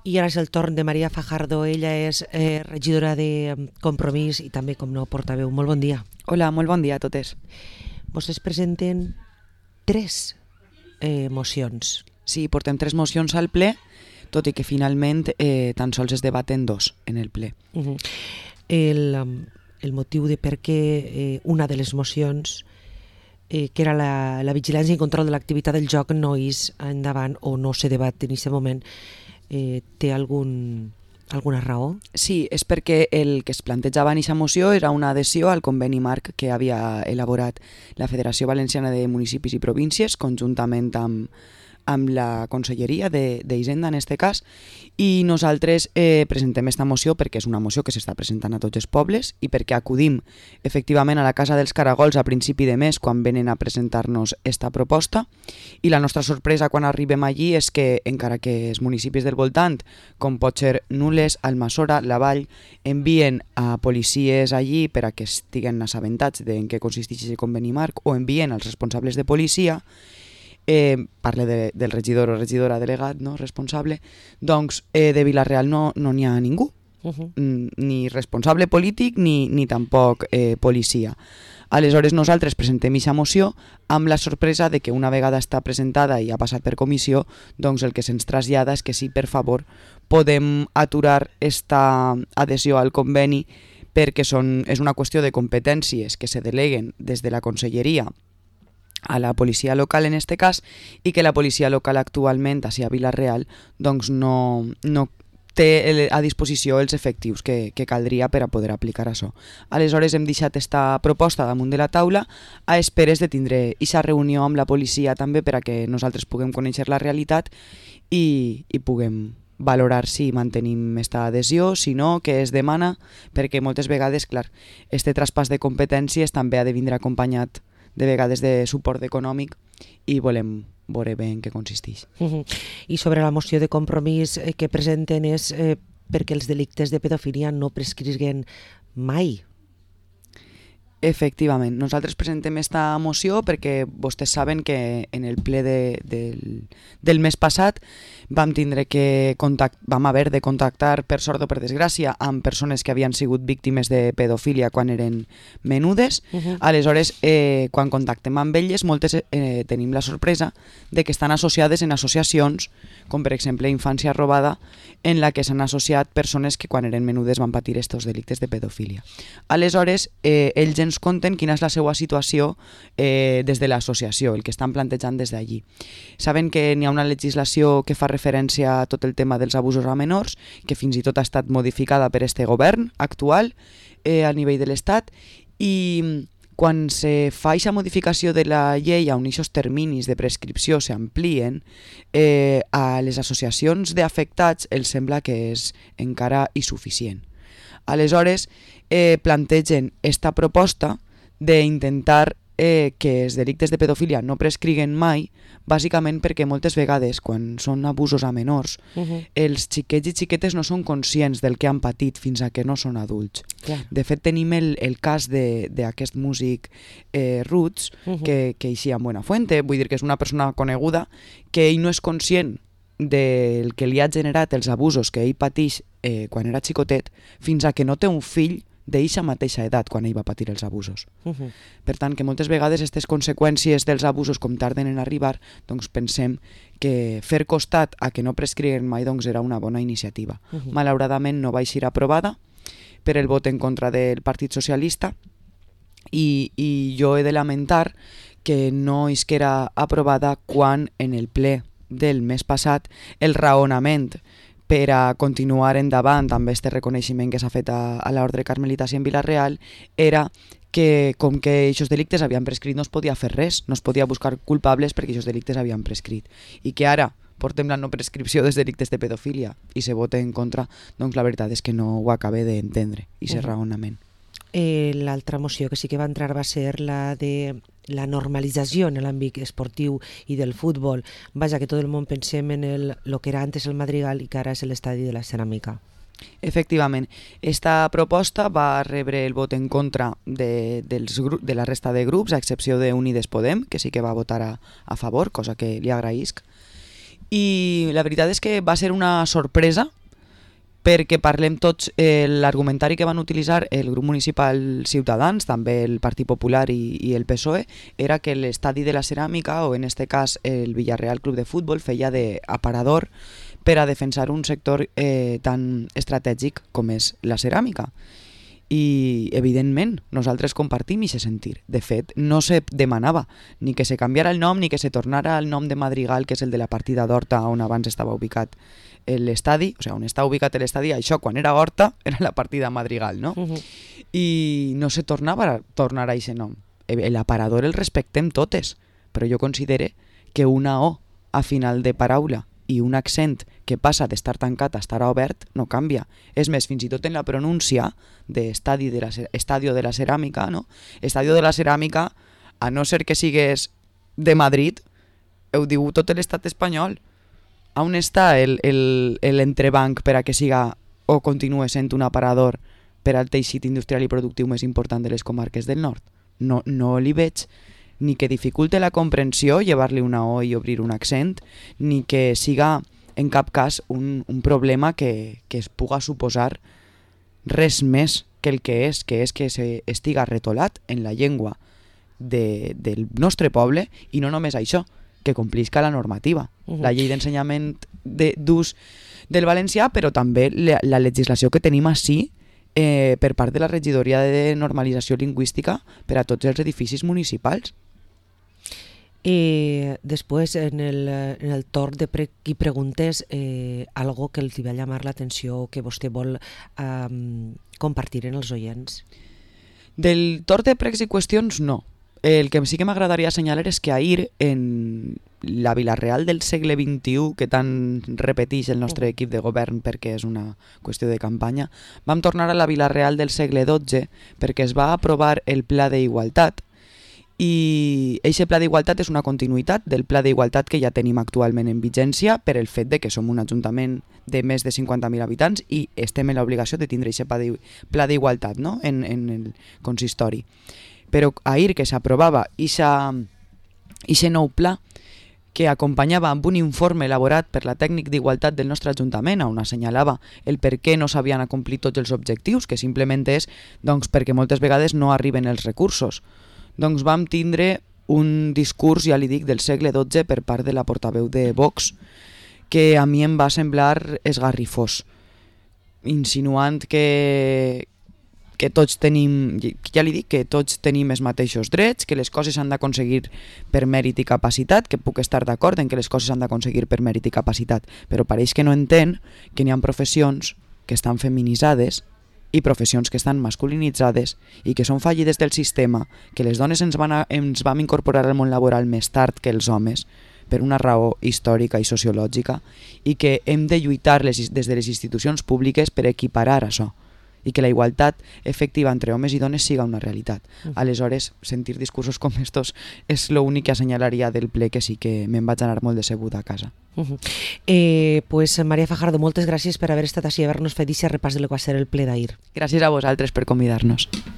I ara és el torn de Maria Fajardo. Ella és regidora de Compromís i també, com no, portaveu. Molt bon dia. Hola, molt bon dia a totes. Vostès presenten 3 mocions. Sí, portem 3 mocions al ple, tot i que finalment tan sols es debaten 2 en el ple. El motiu de per què una de les mocions, que era la vigilància i control de l'activitat del joc, no és endavant o no se debat en aquest moment, té alguna raó? Sí, és perquè el que es plantejava en aquesta moció era una adhesió al conveni marc que havia elaborat la Federació Valenciana de Municipis i Províncies conjuntament amb la Conselleria d'Hisenda en este cas, i nosaltres presentem esta moció perquè és una moció que s'està presentant a tots els pobles i perquè acudim efectivament a la Casa dels Caragols a principi de mes quan venen a presentar-nos esta proposta, i la nostra sorpresa quan arribem allí és que encara que els municipis del voltant, com pot ser Nules, Almassora, La Vall, envien a policies allí per a que estiguen assabentats de en què consisteix el conveni marc o envien als responsables de policia, parle del regidor o regidora delegat, no, responsable, doncs de Vila-real no n'hi ha ningú, ni responsable polític ni tampoc policia. Aleshores nosaltres presentem aquesta moció amb la sorpresa de que una vegada està presentada i ha passat per comissió, doncs el que se'ns trasllada és que sí, per favor, podem aturar esta adhesió al conveni perquè és una qüestió de competències que se deleguen des de la Conselleria a la policia local en este cas, i que la policia local actualment a Vila-real doncs no té a disposició els efectius que caldria per a poder aplicar això. Aleshores hem deixat esta proposta damunt de la taula a esperes de tindre aquesta reunió amb la policia també per a que nosaltres puguem conèixer la realitat i puguem valorar si mantenim esta adhesió, si no, què es demana, perquè moltes vegades, clar, este traspàs de competències també ha de vindre acompanyat de vegades de suport econòmic i volem veure bé en què consisteix. I sobre la moció de Compromís que presenten és perquè els delictes de pedofília no prescriguen mai. Efectivament, nosaltres presentem esta moció perquè vostès saben que en el ple del mes passat vam haver de contactar, per sort o per desgràcia, amb persones que havien sigut víctimes de pedofília quan eren menudes. Aleshores, quan contactem amb elles, moltes tenim la sorpresa de que estan associades en associacions, com per exemple Infància Robada, en la que s'han associat persones que quan eren menudes van patir estos delictes de pedofília. Aleshores, ells ens conten quina és la seva situació des de l'associació, el que estan plantejant des d'allí. Saben que n'hi ha una legislació que fa referència a tot el tema dels abusos a menors, que fins i tot ha estat modificada per este govern actual a nivell de l'Estat, i quan se fa aquesta modificació de la llei on aquests terminis de prescripció s'amplien, a les associacions d'afectats els sembla que és encara insuficient. Aleshores, plantegen esta proposta d'intentar que els delictes de pedofília no prescriguen mai, bàsicament perquè moltes vegades, quan són abusos a menors, els xiquets i xiquetes no són conscients del que han patit fins a que no són adults. De fet, tenim el cas d'aquest músic Roots, que eixia en Buenafuente, vull dir que és una persona coneguda, que ell no és conscient del que li ha generat els abusos que ell pateix quan era xicotet, fins a que no té un fill d'eixa mateixa edat quan ell va patir els abusos. Per tant, que moltes vegades aquestes conseqüències dels abusos, com tarden en arribar, doncs pensem que fer costat a que no prescriguen mai doncs era una bona iniciativa. Malauradament no va ser aprovada per el vot en contra del Partit Socialista i jo he de lamentar que no isquera aprovada quan en el ple del mes passat el raonament per a continuar endavant amb aquest reconeixement que s'ha fet a l'Ordre Carmelitas i en Vila-real era que com que aquests delictes havien prescrit no es podia fer res, no es podia buscar culpables perquè aquests delictes havien prescrit, i que ara portem la no prescripció dels delictes de pedofília i se vota en contra, doncs la veritat és que no ho acabé d'entendre, aquest raonament. L'altra moció que sí que va entrar va ser la de la normalització en l'àmbit esportiu i del futbol. Vaja, que tot el món pensem en lo que era antes el Madrigal i que ara és l'estadi de la Ceràmica. Efectivament, esta proposta va rebre el vot en contra de la resta de grups, a excepció d'Unides Podem, que sí que va votar a favor, cosa que li agraïsc. I la veritat és que va ser una sorpresa perquè parlem tots, l'argumentari que van utilitzar el grup municipal Ciutadans, també el Partit Popular i el PSOE, era que l'estadi de la Ceràmica, o en este cas el Villarreal Club de Futbol, feia d'aparador per a defensar un sector tan estratègic com és la ceràmica. I, evidentment, nosaltres compartim aquest sentir. De fet, no se demanava ni que se canviara el nom ni que se tornara al nom de Madrigal, que és el de la partida d'Horta, on abans estava ubicat l'estadi, o sigui, on està ubicat l'estadi, això quan era Horta era la partida Madrigal, no? I no se tornava a tornar a aquest nom. L'aparador el respectem totes, però jo considere que una O a final de paraula i un accent que passa d'estar tancat a estar obert no canvia. És més, fins i tot en la pronúncia d'Estadio de la Ceràmica, no? Estadio de la Ceràmica, a no ser que sigues de Madrid, ho diu tot l'estat espanyol. On està l'entrebanc per a que siga o continue sent un aparador per al teixit industrial i productiu més important de les comarques del nord? No li veig ni que dificulte la comprensió llevar-li una O i obrir un accent, ni que siga en cap cas un problema que es puga suposar res més que el que és que estiga retolat en la llengua del nostre poble, i no només això, que complisca la normativa, la llei d'ensenyament d'ús del valencià, però també la legislació que tenim ací per part de la regidoria de normalització lingüística per a tots els edificis municipals. Després, en el torn de qui preguntes, algo que els va llamar l'atenció, que vostè vol compartir en els oients? Del torn de pregs i qüestions, no. El que sí que m'agradaria assenyalar és que ahir, en la Vila-real del segle XXI, que tant repeteix el nostre equip de govern perquè és una qüestió de campanya, vam tornar a la Vila-real del segle XII perquè es va aprovar el Pla d'Igualtat, i aquest Pla d'Igualtat és una continuïtat del Pla d'Igualtat que ja tenim actualment en vigència per el fet de que som un ajuntament de més de 50.000 habitants i estem en l'obligació de tindre aquest Pla d'Igualtat, no? en el consistori. Però ahir que s'aprovava aquest nou pla, que acompanyava amb un informe elaborat per la tècnic d'igualtat del nostre ajuntament, on assenyalava el per què no s'havien acomplit tots els objectius, que simplement és perquè moltes vegades no arriben els recursos. Doncs vam tindre un discurs, ja li dic, del segle XII per part de la portaveu de Vox, que a mi em va semblar esgarrifós, insinuant que tots tenim, ja li dic, que tots tenim els mateixos drets, que les coses s'han d'aconseguir per mèrit i capacitat, que puc estar d'acord en que les coses s'han d'aconseguir per mèrit i capacitat, però pareix que no entén que n'hi ha professions que estan feminitzades i professions que estan masculinitzades i que són fallides del sistema, que les dones ens vam incorporar al món laboral més tard que els homes, per una raó històrica i sociològica, i que hem de lluitar des de les institucions públiques per equiparar això, i que la igualtat efectiva entre homes i dones siga una realitat. Aleshores, sentir discursos com estos és l'únic que assenyalaria del ple, que sí que me'n vaig anar molt decebuda a casa. Pues Maria Fajardo, moltes gràcies per haver estat així i haver-nos fet aquest repàs de lo que va ser el ple d'ahir. Gràcies a vosaltres per convidar-nos.